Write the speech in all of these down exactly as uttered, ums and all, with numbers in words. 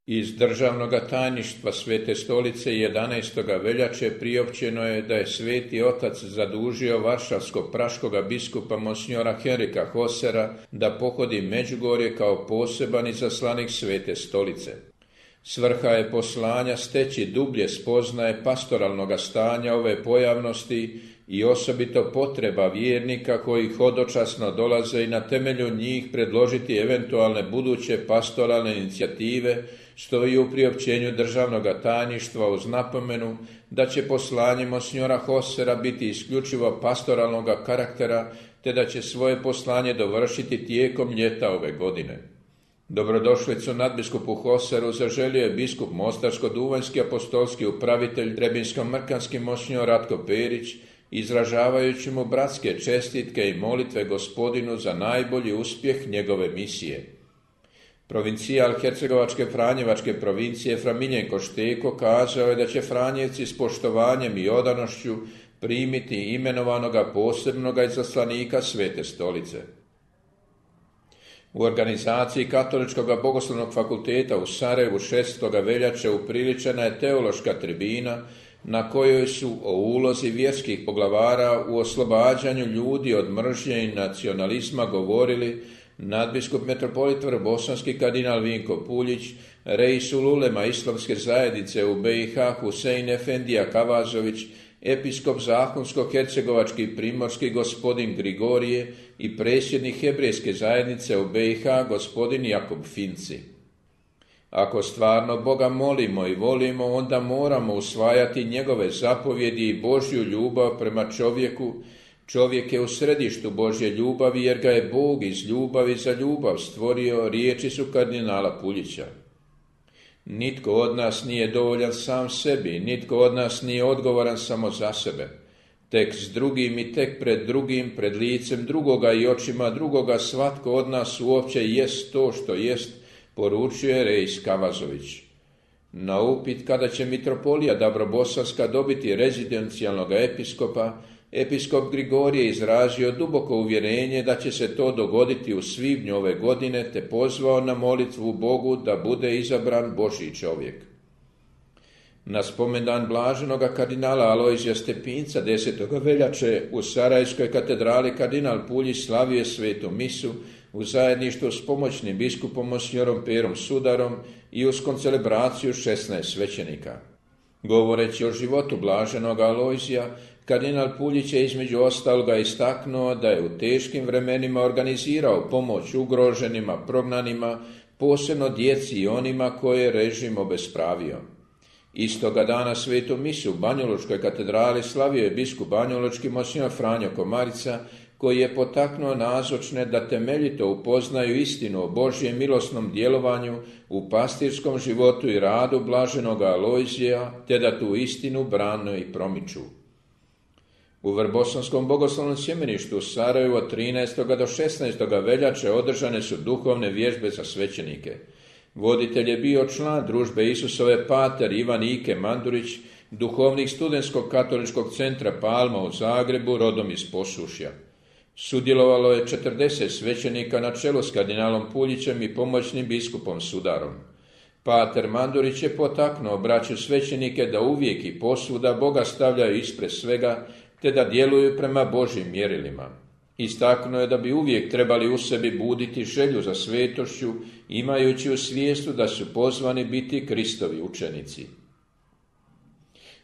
Iz državnog tajništva Svete stolice jedanaestog veljače priopćeno je da je Sveti Otac zadužio varšavskog praškoga biskupa monsignora Henrika Hosera da pohodi Međugorje kao poseban izaslanik Svete stolice. Svrha je poslanja steći dublje spoznaje pastoralnog stanja ove pojavnosti i osobito potreba vjernika koji hodočasno dolaze i na temelju njih predložiti eventualne buduće pastoralne inicijative, stoji u priopćenju državnog tajništva uz napomenu da će poslanje monsignora Hosera biti isključivo pastoralnog karaktera, te da će svoje poslanje dovršiti tijekom ljeta ove godine. Dobrodošlicu nadbiskupu Hoseru zaželio je biskup Mostarsko-duvanjski apostolski upravitelj Trebinsko-mrkanski monsignor Ratko Perić, izražavajući mu bratske čestitke i molitve Gospodinu za najbolji uspjeh njegove misije. Provincijal Hercegovačke Franjevačke provincije Fra Miljenko Šteko kazao je da će Franjevci s poštovanjem i odanošću primiti imenovanoga posebnoga izaslanika Svete stolice. U organizaciji Katoličkog bogoslovnog fakulteta u Sarajevu šestog veljače upriličena je teološka tribina na kojoj su o ulozi vjerskih poglavara u oslobađanju ljudi od mržnje i nacionalizma govorili nadbiskup metropolit Vrbosanski kardinal Vinko Puljić, reisul ulema Islamske zajednice u be i ha Husein Efendija Kavazović, episkop Zahumsko-hercegovački primorski gospodin Grigorije i predsjednik Hebrejske zajednice u be i ha gospodin Jakub Finci. Ako stvarno Boga molimo i volimo, onda moramo usvajati njegove zapovjedi i Božju ljubav prema čovjeku. Čovjek je u središtu Božje ljubavi jer ga je Bog iz ljubavi za ljubav stvorio, riječi su kardinala Puljića. Nitko od nas nije dovoljan sam sebi, nitko od nas nije odgovoran samo za sebe. Tek s drugim i tek pred drugim, pred licem drugoga i očima drugoga svatko od nas uopće jest to što jest, poručuje reis Kavazović. Na upit kada će mitropolija Dabrobosanska dobiti rezidencijalnog episkopa, episkop Grigorije izrazio duboko uvjerenje da će se to dogoditi u svibnju ove godine, te pozvao na molitvu Bogu da bude izabran Božji čovjek. Na spomendan blaženoga kardinala Alojzija Stepinca desetog veljače u Sarajevskoj katedrali kardinal Puljić slavio svetu misu u zajedništvu s pomoćnim biskupom monsignorom Perom Sudarom i uz koncelebraciju šesnaest svećenika. Govoreći o životu blaženog Alojzija, kardinal Puljić je između ostaloga istaknuo da je u teškim vremenima organizirao pomoć ugroženima, prognanima, posebno djeci i onima koje je režim obespravio. Istoga dana svetu misu u Banjalučkoj katedrali slavio je biskup banjalučki monsignor Franjo Komarica, koji je potaknuo nazočne da temeljito upoznaju istinu o Božjem milosnom djelovanju u pastirskom životu i radu blaženoga Alojzija, te da tu istinu brane i promiču. U Vrbosanskom bogoslovnom sjemeništu u Sarajevu od trinaestog do šesnaestog veljače održane su duhovne vježbe za svećenike. Voditelj je bio član družbe Isusove pater Ivan Ike Mandurić, duhovnik studentskog katoličkog centra Palma u Zagrebu, rodom iz Posušja. Sudjelovalo je četrdeset svećenika na čelu s kardinalom Puljićem i pomoćnim biskupom Sudarom. Pater Mandurić je potaknuo braću svećenike da uvijek i posvuda Boga stavljaju ispred svega, te da djeluju prema Božjim mjerilima. Istaknuo je da bi uvijek trebali u sebi buditi želju za svetošću, imajući u svijestu da su pozvani biti Kristovi učenici.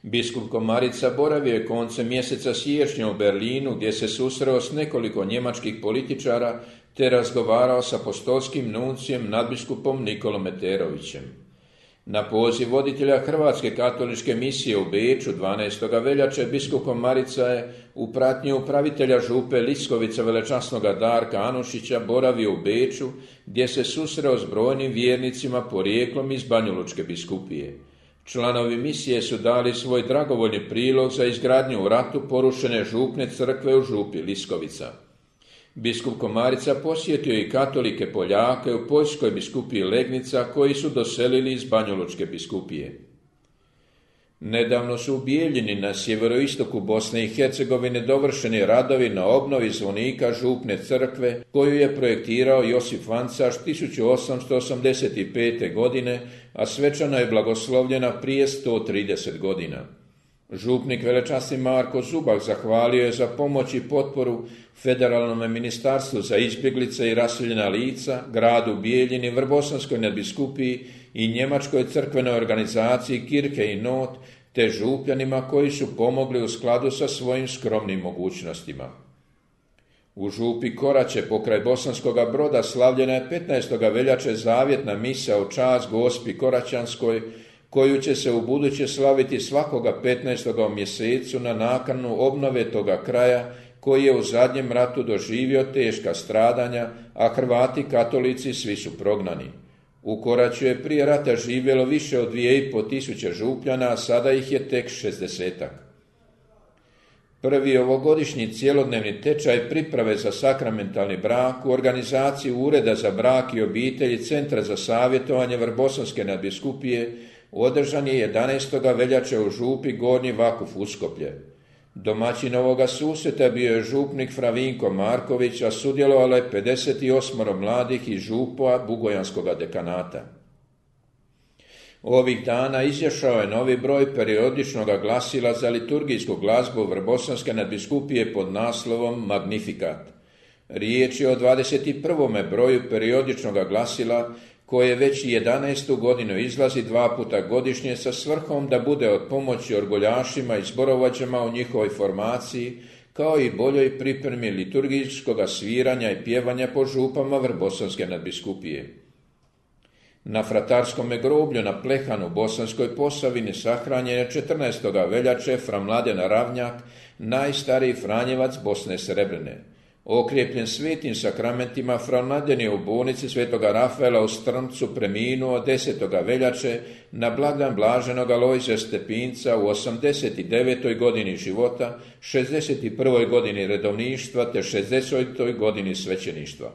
Biskup Komarica boravio je koncem mjeseca siječnja u Berlinu, gdje se susreo s nekoliko njemačkih političara te razgovarao s apostolskim nuncijem nadbiskupom Nikolom Meterovićem. Na poziv voditelja Hrvatske katoličke misije u Beču dvanaestog veljače biskup Komarica je u pratnji upravitelja župe Liskovica velečasnoga Darka Anušića boravio u Beču, gdje se susreo s brojnim vjernicima porijeklom iz Banjalučke biskupije. Članovi misije su dali svoj dragovoljni prilog za izgradnju u ratu porušene župne crkve u župi Liskovica. Biskup Komarica posjetio i katolike Poljake u Poljskoj biskupiji Legnica koji su doselili iz Banjalučke biskupije. Nedavno su u Bijeljini na sjeveroistoku Bosne i Hercegovine dovršeni radovi na obnovi zvonika župne crkve koju je projektirao Josip Vancaš tisuću osamsto osamdeset pete. godine, a svečano je blagoslovljena prije sto trideset godina. Župnik velečasni Marko Zubak zahvalio je za pomoć i potporu Federalnom ministarstvu za izbjeglice i raseljena lica, gradu Bijeljini, Vrbosanskoj nadbiskupiji i njemačkoj crkvenoj organizaciji Kirke i Not, te župljanima koji su pomogli u skladu sa svojim skromnim mogućnostima. U župi Koraće pokraj Bosanskoga Broda slavljena je petnaestog veljače zavjetna misa u čast Gospi Koraćanskoj, koju će se u buduće slaviti svakoga petnaestoga u mjesecu na nakanu obnove toga kraja koji je u zadnjem ratu doživio teška stradanja, a Hrvati katolici svi su prognani. U Koraću je prije rata živjelo više od dvije i pol tisuće župljana, a sada ih je tek šezdesetak. Prvi ovogodišnji cjelodnevni tečaj priprave za sakramentalni brak u organizaciji Ureda za brak i obitelji Centra za savjetovanje Vrbosanske nadbiskupije održan je jedanaestog veljače u župi Gornji Vakuf Uskoplje. Domaćin ovoga susreta bio je župnik Fravinko Marković, a sudjelovalo je pedeset osam mladih iz župova Bugojanskoga dekanata. Ovih dana izašao je novi broj periodičnog glasila za liturgijsku glazbu Vrbosanske nadbiskupije pod naslovom Magnificat. Riječ je o dvadeset prvom broju periodičnog glasila koje već jedanaestu godinu izlazi dva puta godišnje sa svrhom da bude od pomoći orguljašima i zborovođama u njihovoj formaciji, kao i boljoj pripremi liturgijskog sviranja i pjevanja po župama Vrbosanske nadbiskupije. Na fratarskom groblju na Plehanu u Bosanskoj Posavini sahranjen je četrnaestog veljače fra Mladen Ravnjak, najstariji Franjevac Bosne Srebrene. Okrijepljen svetim sakramentima, fra Mladen je u bolnici svetoga Rafaela u Strmcu preminuo desetog veljače na blagdan blaženog Alojzija Stepinca u osamdeset devetoj godini života, šezdeset prvoj godini redovništva te šezdesetoj godini svećeništva.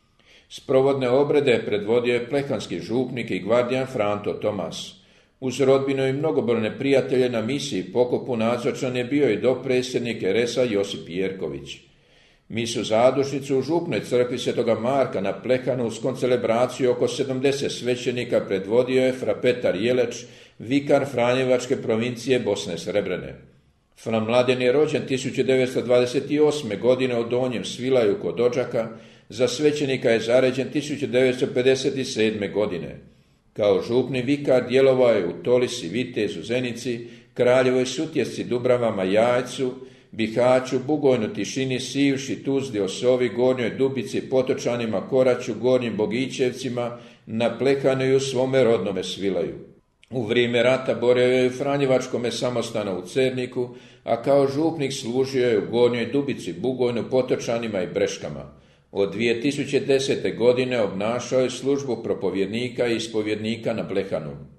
Sprovodne obrede je predvodio je plehanski župnik i gvardijan Franto Tomas. Uz rodbinu i mnogobrojne prijatelje na misiji pokopu nazočan je bio i dopredsjednik R S A Josip Jerković. Misu zadušnicu u župnoj crkvi svetoga Marka na Plehanu uz koncelebraciju oko sedamdeset svećenika predvodio je fra Petar Jeleć, vikar Franjevačke provincije Bosne Srebrene. Fra Mladen je rođen tisuću devetsto dvadeset osme. godine u Donjem Svilaju kod Odžaka, za svećenika je zaređen tisuću devetsto pedeset sedme. godine. Kao župni vikar djelovao je u Tolisi, Vitezu, Zenici, Kraljevoj Sutjesci, Dubravama, Jajcu, Bihaću, Bugojnu, Tišini, Sivši, Tuzli, Osovi, Gornjoj Dubici, Potočanima, Koraću, Gornjim Bogićevcima, na Plehanu i u svome rodnome Svilaju. U vrijeme rata borio je u Franjevačkome samostanu u Cerniku, a kao župnik služio je u Gornjoj Dubici, Bugojnu, Potočanima i Breškama. Od dvije tisuće desete. godine obnašao je službu propovjednika i ispovjednika na Plehanu.